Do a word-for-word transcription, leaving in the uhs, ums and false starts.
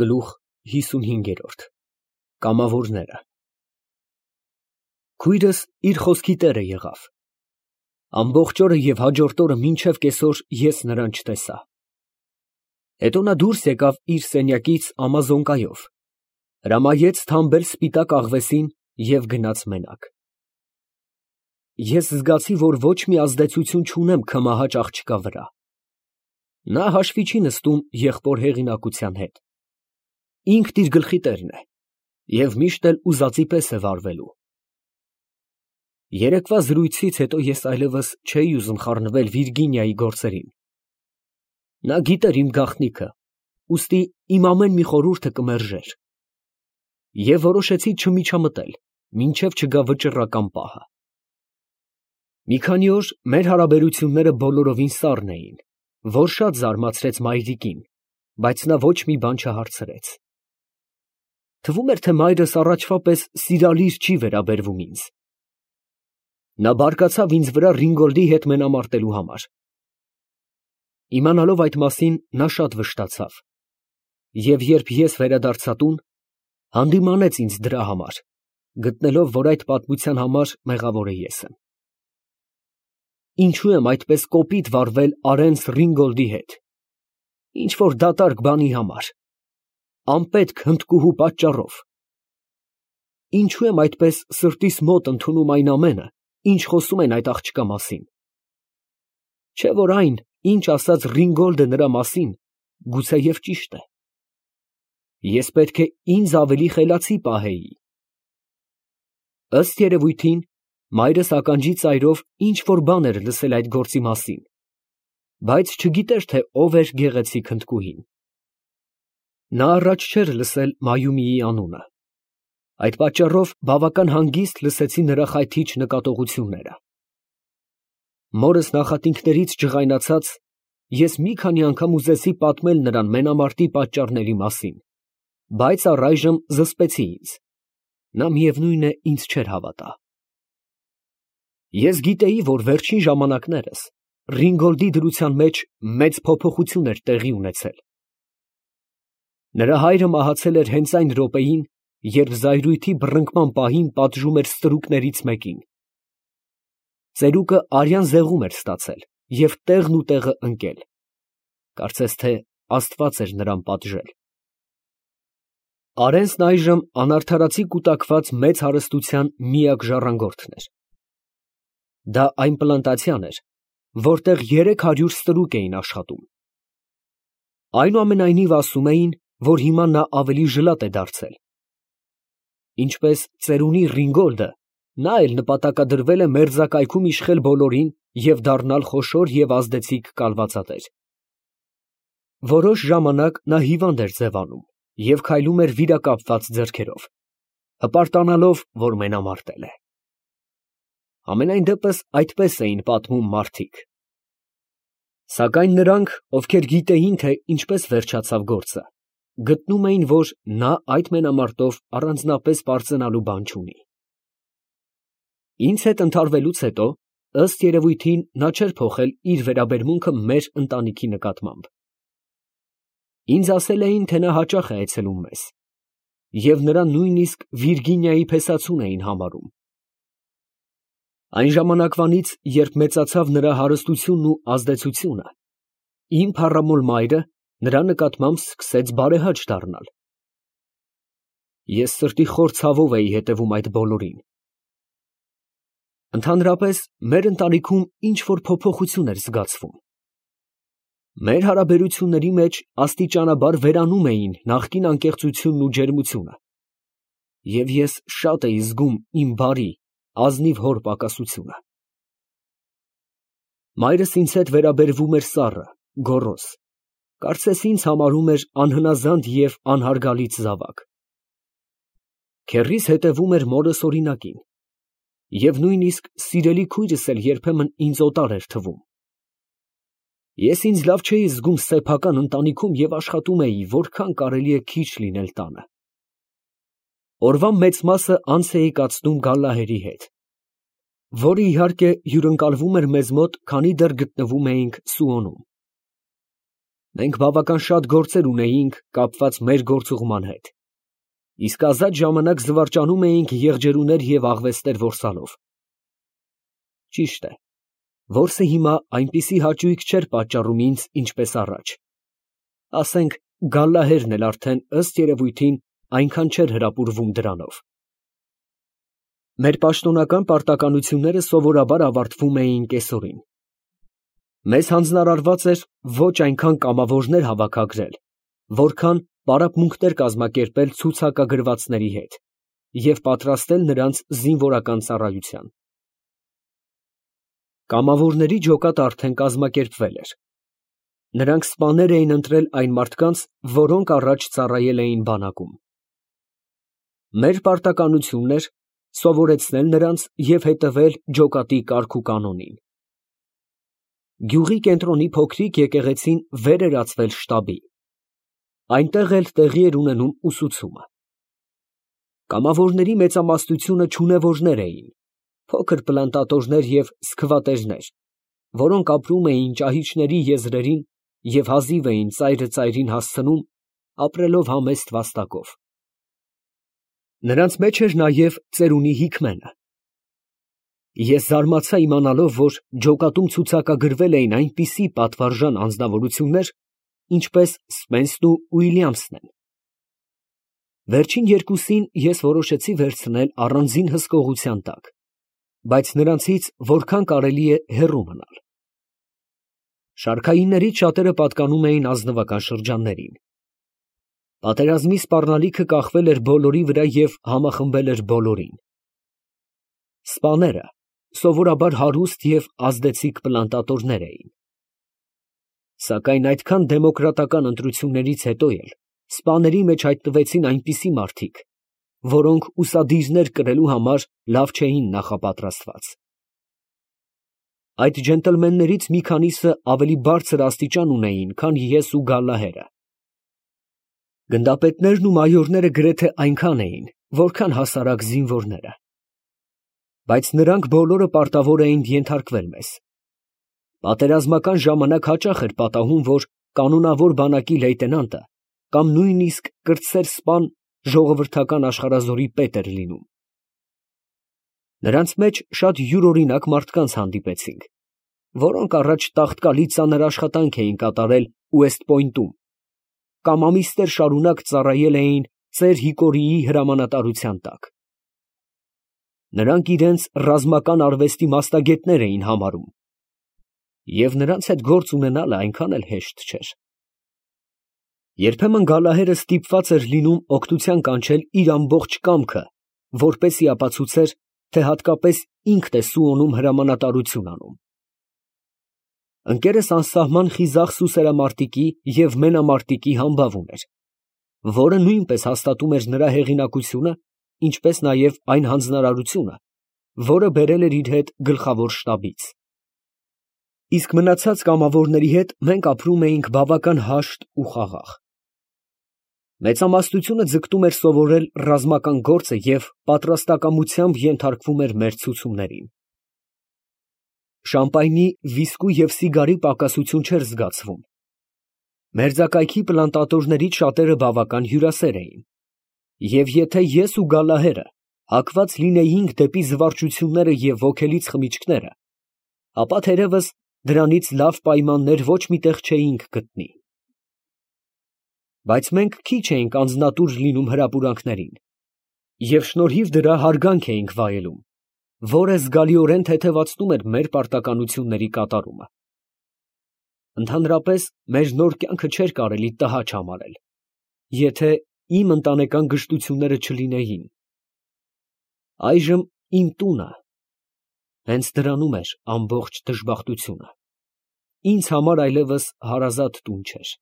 Գլուխ հիսունհինգերորդ Կամավորները Քույրս իր խոսքի տերը եղավ։ Ամբողջ օրը և հաջորդ օրը մինչև կեսօր ես նրան չտեսա։ Հետո նա դուրս եկավ իր սենյակից ամազոնկայով, հրամայեց թամբել սպիտակ աղվեսին և գնաց մենակ։ Ես զգացի, որ ոչ մի ազդեցություն չունեմ քմահաճ աղջկա վրա։ Նա հաշվի չի նստում եղբոր հեղինակության հետ։ Ինքն իր գլխի տերն է և միշտ էլ ուզածի պես է վարվելու։ Երեկվա զրույցից հետո ես այլևս չէի ուզում խառնվել Վիրգինիայի գործերին։ Նա գիտեր իմ գաղտնիքը, ուստի իմ ամեն մի խորհուրդը կմերժեր։ Եվ որոշեցի չմիջամտել, մինչև չգա վճռական պահը։ Մի քանի օր մեր հարաբերությունները բոլորովին սառն էին, որ շատ զարմացրեց մայրիկին, բայց նա ոչ մի բան չհարցրեց։ Թվում էր, թե մայրս առաջվա պես սիրալիր չի վերաբերվում ինձ։ Նա բարկացավ ինձ վրա Ռինգոլդի հետ մենամարտելու համար։ Իմանալով այդ մասին, նա շատ վշտացավ, և երբ ես վերադարձա տուն, հանդիմանեց ինձ դրա համար, գտնելով, որ այդ պատմության համար մեղավորը ես եմ։ Ինչո՞ւ եմ այդպես կոպիտ վարվել Արենս Ռինգոլդի հետ, ինչ֊որ դատարկ բանի համար, անպետք հնդկուհու պատճառով։ Ինչո՞ւ եմ այդպես սրտիս մոտ ընդունում այն ամենը, ինչ խոսում են այդ աղջկա մասին։ Չէ՞ որ այն, ինչ ասաց Ռինգոլդը նրա մասին, գուցեև ճիշտ է։ Ես պետք է ինձ ավելի խելացի պահեի։ Ըստ երևույթին, մայրս ականջի ծայրով ինչ֊որ բան էր լսել այդ գործի մասին, բայց չգիտեր, թե ով էր գեղեցիկ հնդկուհին։ Նա առաջ չէր լսել Մայումիի անունը։ Այդ պատճառով բավական հանգիստ լսեցի նրա խայթիչ նկատողությունները։ Մորս նախատինքներից ջղայնացած, ես մի քանի անգամ ուզեցի պատմել նրան մենամարտի պատճառների մասին, բայց առայժմ զսպեցի ինձ. նա միևնույն է ինձ չէր հավատա։ Ես գիտեի, որ վերջին ժամանակներս Ռինգոլդի դրության մեջ մեծ փոփոխություն էր տեղի ունեցել։ Նրա հայրը մահացել էր հենց այն րոպեին, երբ զայրույթի բռնկման պահին պատժում էր ստրուկներից մեկին։ Ծերուկը արյան զեղում էր ստացել և տեղն ու տեղը ընկել։ Կարծես թե Աստված էր նրան պատժել։ Արենսն այժմ անարդարացի կուտակված մեծ հարստության միակ ժառանգորդն էր։ Դա այն պլանտացիան էր, որտեղ երեք հարյուր ստրուկ էին աշխատում։ Այնուամենայնիվ ասում էին, որ հիմա նա ավելի ժլատ է դարձել։ Ինչպես ծերունի Ռինգոլդը, նա էլ նպատակադրվել է մերձակայքում իշխել բոլորին և դառնալ խոշոր և ազդեցիկ կալվածատեր։ Որոշ ժամանակ նա հիվանդ էր ձևանում և քայլում էր վիրակապված ձեռքերով, հպարտանալով, որ մենամարտել է։ Համենայն դեպս այդպես էին պատմում մարդիկ։ Սակայն նրանք, ովքեր գիտեին, թե ինչպես վերջացավ գործը, գտնում էին, որ նա այդ մենամարտով առանձնապես պարծենալու բան չունի։ Ինձ հետ ընդհարվելուց հետո, ըստ երևույթին, նա չէր փոխել իր վերաբերմունքը մեր ընտանիքի նկատմամբ։ Ինձ ասել էին, թե նա հաճախ է այցելում մեզ, և նրան նույնիսկ Վիրգինիայի փեսացուն էին համարում։ Այն ժամանակվանից, երբ մեծացավ նրա հարստությունն ու ազդեցությունը, իմ փառամոլ մայրը նրա նկատմամբ սկսեց բարեհաճ դառնալ։ Ես սրտի խոր ցավով էի հետևում այդ բոլորին։ Ընդհանրապես, մեր ընտանիքում ինչ֊որ փոփոխություն էր զգացվում։ Մեր հարաբերությունների մեջ աստիճանաբար վերանում էին նախկին անկեղծությունն ու ջերմությունը, և ես շատ էի զգում իմ բարի, ազնիվ հոր պակասությունը։ Մայրս ինձ հետ վերաբերվում էր սառը, գոռոզ, կարծես ինձ համարում էր անհնազանդ և անհարգալից զավակ։ Քեռիս հետևում էր մորս օրինակին, և նույնիսկ սիրելի քույրս էլ երբեմն ինձ օտար էր թվում։ Ես ինձ լավ չէի զգում սեփական ընտանիքում և աշխատում էի, որքան կարելի է քիչ լինել տանը։ Օրվա մեծ մասը անց էի կացնում Գալլահերի հետ, որը, իհարկե, հյուրընկալվում էր մեզ մոտ, քանի դեռ գտնվում էինք Սուոնում։ Մենք բավական շատ գործեր ունեինք կապված մեր գործուղման հետ, իսկ ազատ ժամանակ զվարճանում էինք եղջերուներ և աղվեսներ որսալով։ Ճիշտ է, որսը հիմա այնպիսի հաճույք չէր պատճառում ինձ, ինչպես առաջ, ասենք գալլահերն էլ արդեն ըստ երևույթին այնքան չէր հրապուրվում դրանով։ Մեր պաշտոնական պարտականությունները սովորաբար ավարտվում էին կեսօրին։ Մեզ հանձնարարված էր ոչ այնքան կամավորներ հավաքագրել, որքան պարապմունքներ կազմակերպել ցուցակագրվածների հետ և պատրաստել նրանց զինվորական ծառայության։ Կամավորների ջոկատը արդեն կազմակերպվել էր։ Նրանք սպաներ էին ընտրել այն մարդկանց, որոնք առաջ ծառայել էին բանակում։ Մեր պարտականությունն էր սովորեցնել նրանց և հետևել ջոկատի կարգ ու կանոնին։ Գյուղի կենտրոնի փոքրիկ եկեղեցին վեր էր ածվել շտաբի։ Այնտեղ էլ տեղի էր ունենում ուսուցումը։ Կամավորների մեծամասնությունը չունևորներ էին, փոքր պլանտատորներ և սքվատերներ, որոնք ապրում էին ճահիճների եզրերին և հազիվ էին ծայրը ծայրին հասցնում, ապրելով համեստ վաստակով։ Նրանց մեջ էր նաև ծերունի Հիկմենը։ Ես զարմացա իմանալով, որ ջոկատում ցուցակագրվել էին այնպիսի պատվարժան անձնավորություններ, ինչպես Սպենսն ու Ուիլյամսն են։ Վերջին երկուսին ես որոշեցի վերցնել առանձին հսկողության տակ, բայց նրանցից որքան կարելի է հեռու մնալ։ Շարքայիններից շատերը պատկանում էին ազնվական շրջաններին։ Պատերազմի սպառնալիքը կախվել էր բոլորի վրա և համախմբել էր բոլորին։ Սպաները սովորաբար հարուստ և ազդեցիկ պլանտատորներ էին։ Սակայն այդքան դեմոկրատական ընտրություններից հետո էլ սպաների մեջ հայտնվեցին այնպիսի մարդիկ, որոնք ուսադիրներ կրելու համար լավ չէին նախապատրաստված։ Այդ ջենտլմեններից մի քանիսը ավելի բարձր աստիճան ունեին, քան ես ու Գալլահերը։ Գնդապետներն ու մայորները գրեթե այնքան էին, որքան հասարակ զինվորները։ Բայց նրանք բոլորը պարտավոր էին ենթարկվել մեզ։ Պատերազմական ժամանակ հաճախ էր պատահում, որ կանոնավոր բանակի լեյտենանտը կամ նույնիսկ կրտսեր սպան ժողովրդական աշխարհազորի պետ էր լինում։ Նրանց մեջ շատ յուրօրինակ մարդկանց հանդիպեցինք, որոնք առաջ տաղտկալի ծանր աշխատանք էին կատարել Ուեստ Պոյնտում կամ ամիսներ շարունակ ծառայել էին ծեր Հիկորիի հրամանատարության տակ։ Նրանք իրենց ռազմական արվեստի մասնագետներ էին համարում, և նրանց հետ գործ ունենալը այնքան էլ հեշտ չէր։ Երբեմն Գալլահերը ստիպված էր լինում օգնության կանչել իր ամբողջ կամքը, որպեսզի ապացուցեր, թե հատկապես ինքն է Սուոնում հրամանատարություն անում։ Ընկերս անսահման խիզախ սուսերամարտիկի և մենամարտիկի համբավ ուներ, որը նույնպես հաստատում էր նրա հեղինակությունը, ինչպես նաև այն հանձնարարությունը, որը բերել էր իր հետ գլխավոր շտաբից։ Իսկ մնացած կամավորների հետ մենք ապրում էինք բավական հաշտ ու խաղաղ։ Մեծամասնությունը ձգտում էր սովորել ռազմական գործը և պատրաստակամությամբ ենթարկվում էր մեր ցուցումներին։ Շամպայնի, վիսկու և սիգարի պակասություն չէր զգացվում։ Մերձակայքի պլանտատորներից շատերը բավական հյուրասեր էին, և եթե ես ու Գալլահերը հակված լինեինք դեպի զվարճությունները և ոգելից խմիչքները, ապա թերևս դրանից լավ պայմաններ ոչ մի տեղ չէինք գտնի։ Բայց մենք քիչ էինք անձնատուր լինում հրապուրանքներին և շնորհիվ դրա հարգանք էինք վայելում, որը զգալիորեն թեթևացնում էր մեր պարտականությունների կատարումը։ Ընդհանրապես, մեր նոր կյանքը չէր կարելի տհաճ համարել, եթե իմ ընտանեկան գժտությունները չլինեին։ Այժմ իմ տունը, հենց դրանում էր ամբողջ դժբախտությունը, ինձ համար այլևս հարազատ տուն չէր։